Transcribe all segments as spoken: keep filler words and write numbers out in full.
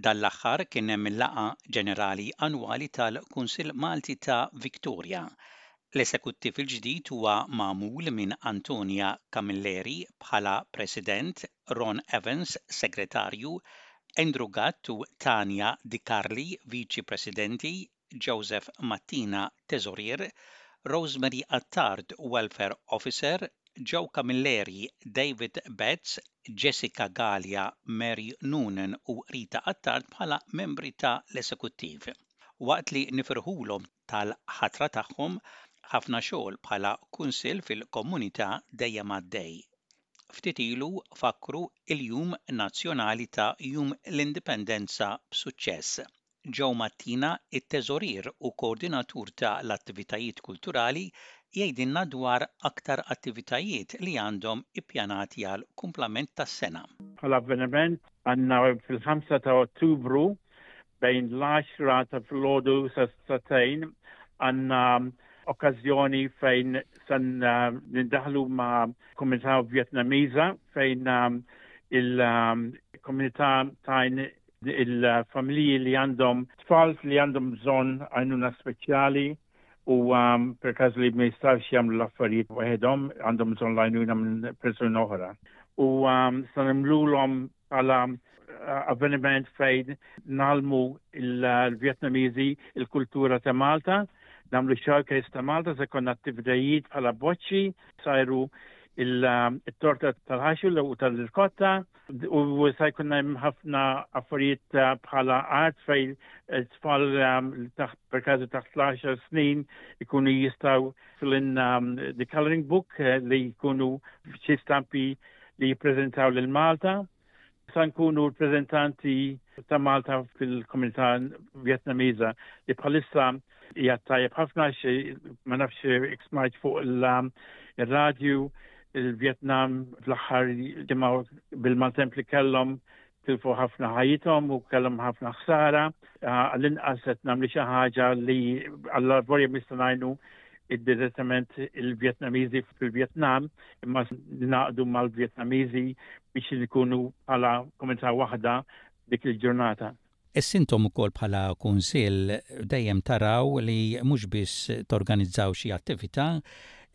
Dan l-aħħar kien hemm il-laqgħa ġenerali annwali tal-Kunsill Malti ta' Victoria. L-esekuttiv il-ġdid huwa magħmul minn Antonia Camilleri bħala President, Ron Evans, Segretarju, Andrew Gatt u Tania Di Carli, Viċi Presidenti, Joseph Mattina, Teżorier, Rosemary Attard, Welfare Officer, Joe Camilleri, David Betts, Jessica Gallia, Mary Noonan u Rita Attard bħala membri ta' l-esekuttiv. Waqt li nifirħulhom tal-ħatra tagħhom, ħafna xogħol bħala kunsill fil-komunità dejjem għaddej. Ftit ilu fakru il-Jum Nazzjonali ta' Jum l-Indipendenza b'suċċess. Joe Mattina, it-teżorier u koordinatur ta' l-attivitajiet kulturali, jgħidilna dwar aktar attivitajiet li għandhom ippjanati għal kumplament tas-sena. Bħala avveniment għandna fil-ħamsa ta' Ottubru bejn l-għaxra ta' filgħodu sa sagħtejn għandna okkażjoni fejn san nindaħlu ma' komunità Vjetnamiża, fejn il-komunità tajn il-familji li għandhom tfal li għandhom bżonn għajnuna speċjali u um, per każ li ma jistgħux jagħmlu l-affarijiet waħedhom, għandhom bżonn l-għajnuna minn persuna oħra. U um, sa nagħmlulhom bħala uh, avveniment fejn ngħallmu il-Vjetnamiżi il-kultura ta' Malta, nagħmlu showcase ta' Malta, se jkollna attivitajiet bħala boċċi, sajru il-torta tal-ħaxu u tal-irkotta u se jkun hemm ħafna affarijiet uh, bħala art fejn tfal um, taħt per każu taħt l-għaxar snin ikunu jistgħu fill in um, the coloring book uh, li jkunu xi stampi li jippreżentaw lil Malta. Sa nkunu rappreżentanti ta' Malta fil-komunità Vjetnamiża li bħalissa hija tajjeb ħafna. Ma nafx smajt fuq il-radju, il-Vietnam fl-aħħar ġimgħa bil-maltemp li kellhom tilfu ħafna ħajjithom u kellhom ħafna ħsara. Għall-inqas qed nagħmlu xi ħaġa li għall-arborja nistgħu ngħinu direttament il-Vjetnamiżi fil-Vjetnam, imma naqdu mal-Vjetnamiżi biex nkunu bħala komunità waħda dik il-ġurnata. Issa intom ukoll bħala kunsill dejjem taraw li mhux biss torganizzaw xi attività,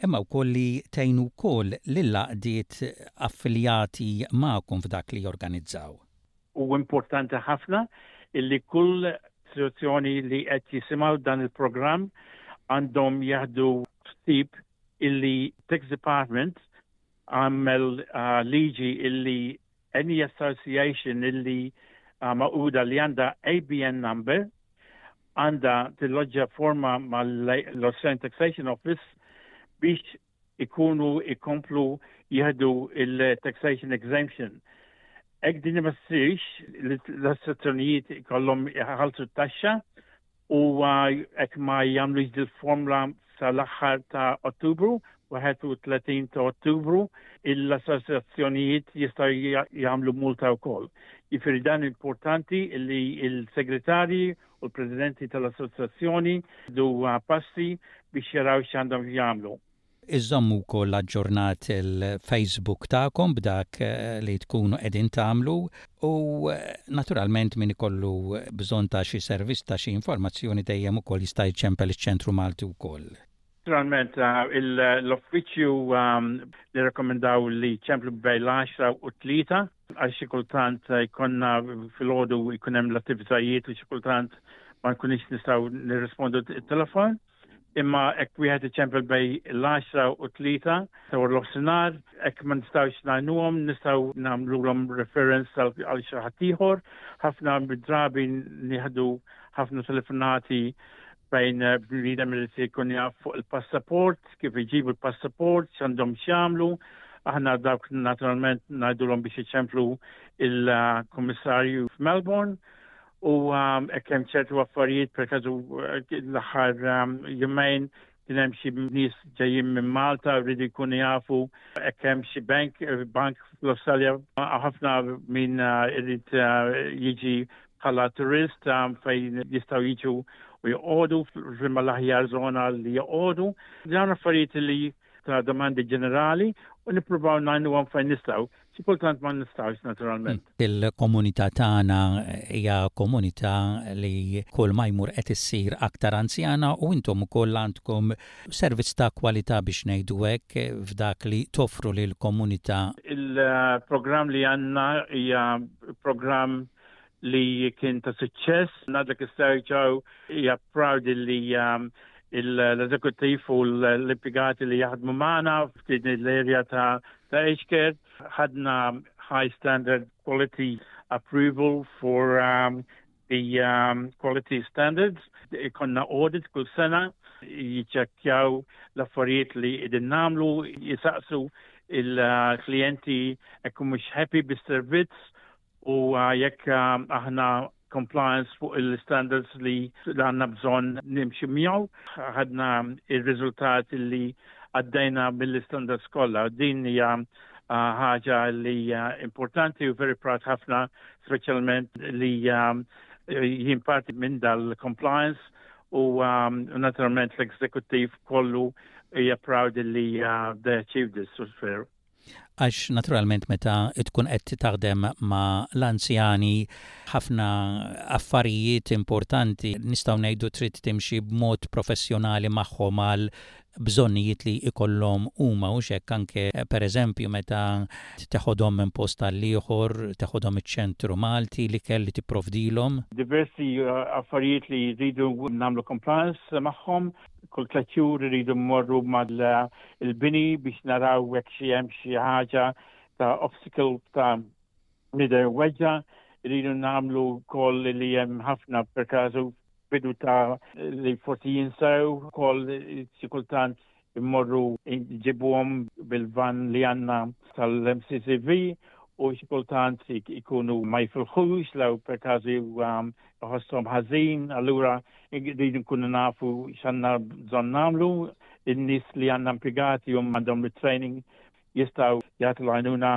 imma wkoll li tgħinu wkoll lill-għaqdiet affiljati magħkom f'dak li jorganizzaw. U importanti ħafna illi kull istituzzjoni li qed jisimgħu dan il-programm għandhom jieħdu ħsieb illi Tax Department għamel uh, liġi illi any association illi uh, magħquda li għandha A B N number għandha tilloġġa forma mal-Australian Taxation Office biex ikunu ikomplu jieħdu il-taxation exemption. Jekk din ma ssirx, l-assoċjazzjonijiet ikollhom jħallsu t-taxxa u jekk ma jagħmlux dil-formula sal-aħħar ta' Ottubru, wieħed u tletin ta' Ottubru, l-assoċjazzjonijiet jistgħu jagħmlu multa wkoll. Jiġifieri dan importanti li il-segretarji u l-presidenti tal-assoċjazzjoni jieħdu passi biex jaraw x'għandhom jagħmlu. Iżommu wkoll aġġornat il-Facebook tagħkom b'dak eh, li tkunu qegħdin tagħmlu u eh, naturalment min ikollu bżonn ta' xi servizz, ta' xi informazzjoni, dejjem ukoll jista' jċempel iċ-Ċentru Malti wkoll. Naturalment, eh, l-uffiċċju um, li rekomendaw li ċemplu bejn l-għaxra u tlieta, għax xi kultant jkollna filgħodu jkun hemm l-attivitajiet u xi kultant ma nkunix nistgħu nirrispondu t-telefon, imma jekk wieħed iċempel bejn l-għaxra u tlieta ta' nofsinhar, jekk ma nistgħux ngħinuhom, nistgħu nagħmluhom reference għal xi ħadd ieħor. Ħafna drabi nieħdu ħafna telefonati bejn bniedem li se jkun jaf fuq il-passaport, kif iġibu il-passaport, x'għandhom x'jagħmlu. Aħna dawk naturalment ngħidulhom biex iċemplu il-kummissarju f'Melbourne u um, hemm ċertu affarijiet, per każu l-aħħar um, jumejn kien hemm xi nies ġejjin minn Malta rridu jkunu jafu hekk hemm xi bank bank fl-Awstralja. Ħafna min uh, irid uh, jiġi bħala turist um, fejn jistgħu jiġu u joqogħdu, f'liema l-aħjar żona li joqogħdu. Dawn affarijiet li ta' domandi ġenerali u nippruvaw ngħinuhom fejn nistgħu. Xi kultant ma nistax, naturalment. Il-komunità tagħna hija komunità li kull ma jmur qed issir aktar anzjana u intom ukoll għandkom servizz ta' kwalità, biex ngħidu hekk, f'dak li toffru lil komunità. Il-programm li għandna hija programm li kien ta' suċċess. Ngħidlek is-serġaw hija proud li um, l-eżekuttiv u l-impjegati li jaħdmu magħna f'din l-area ta' ta' aged care ħadna high standard quality approval for um, the um, quality standards. Ikollna audit kull sena, jiċċekkjaw l-affarijiet li qegħdin nagħmlu, jisaqsu il-klienti jekk mhux happy bis-servizz u uh, jekk um, aħna compliance fuq il-standards li għandna bżonn nimxi miegħu. Ħadna il-riżultat li għaddejna mill-standards kollha. Din hija uh, ħaġa li importanti u very proud ħafna, speċjalment li um, jien parti minn dal-compliance u um, naturalment l-executive kollu hija proud li uh, they achieved this. Fair. Għax naturalment meta tkun qed taħdem ma' l-anzjani, ħafna affarijiet importanti, nistgħu ngħidu, trid timxi b'mod professjonali magħhom għal bżonnijiet li ikollhom huma u hekk, anke pereżempju meta teħodhom minn post għal ieħor, teħodhom iċ-Ċentru Malti, li kelli tipprovdilhom. Diversi uh, affarijiet li jridu nagħmlu compliance magħhom, kull tliet xhur iridu mmorru mal-bini biex naraw jekk xi hemm xi ħaġa ta' obstacle ta' bniedem weġġa', rridu nagħmlu koll li hemm ħafna per każu bidu ta' li forsi jinsew koll, xi kultant immorru nġibuhom bil-van li għandna tal-M C C V u xi kultant ikunu ma jifilħux law per każu um, jħossuhom ħażin, allura rridu nkunu nafu x'għandna bżonn nagħmlu. In-nies li għandna impjegati hum għandhom il-training, jistgħu jagħtu l-għajnuna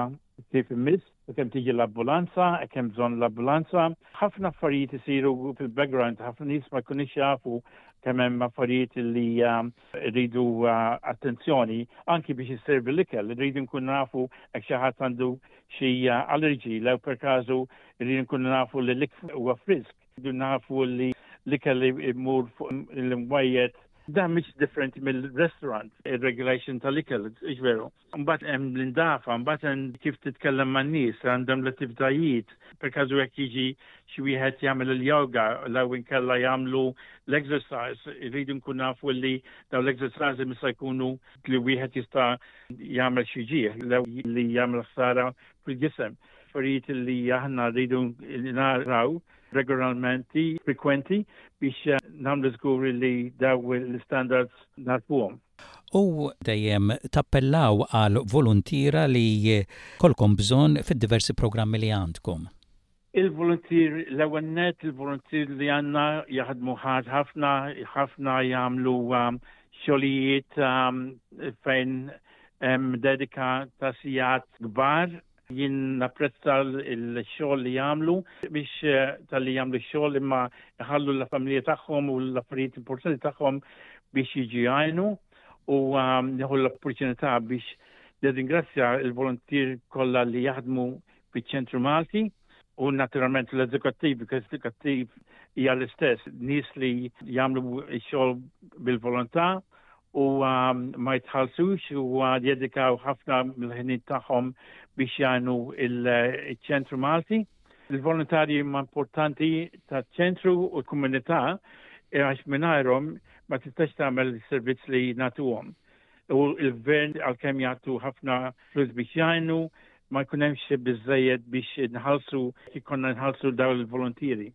kif imiss, kemm tiġi l-ambulanza, kemm bżonn l-ambulanza. Ħafna affarijiet isiru fil-background, ħafna nies ma jkunux jafu kemm hemm affarijiet li um, rridu uh, attenzjoni anki biex isservi l-ikel, rridu nkun nafu jekk xi ħadd għandu xi uh, allergy, lew per każu rridu nkunu nafu li l-ikel huwa frisk, rridu nafu li l-ikel imur fuq l-imwejjed. Dan mhix differenti mill-restaurant, il-regulation tal-ikel, veru. Mbagħad hemm l-indafa, mbagħad hemm kif titkellem man-nies, għandhom l-attivitajiet, per każu jekk jiġi xi wieħed jagħmel il-yoga, law inkella jagħmlu l-exercise, irridu nkun nafu li daw l-exercise mista jkunu li wieħed jista' jagħmel xi ġieħ, li jagħmel ħsara fil-ġisem. Affarijiet li aħna rridu naraw regolarmenti, frekwenti, biex eh, nagħmlu żgur li daw l-standards narfuhom. U dejjem tappellaw għal voluntiera li jkollkom bżonn fid-diversi programmi li għandkom. Il-volunteer, l-ewwel net, il-volunteer li għandna jaħdmu ħad ħafna, ħafna jagħmlu um, xogħlijiet um, fejn hemm dedika ta' sigħat kbar. Jien napprezza l-xogħol li jagħmlu biex eh, tal-li jagħmlu x-xogħol imma jħallu l-familja tagħhom u l-affarijiet importanti tagħhom biex jiġu jgħinu u um, nieħu l-opportunità biex nirringrazzja il-volunteer kollha li jaħdmu fiċ-Ċentru Malti u naturalment l-eżekuttiv, because l-eżekuttiv hija l-istess, nies li jagħmlu x-xogħol bil-volontà u um, ma jitħallsux u uh, jedikaw ħafna mill-ħinijiet tagħhom biex jgħinu il-Ċentru Malti. Il-volontarji huma importanti taċ-ċentru u l-komunità għax mingħajrhom ma tistax tagħmel is-servizz li nagħtuhom. U il-gvern, għalkemm jagħtu ħafna flus biex jgħinu, ma jkun hemmx biżejjed biex nħallsu, ikollna nħallsu dawn il-volontieri.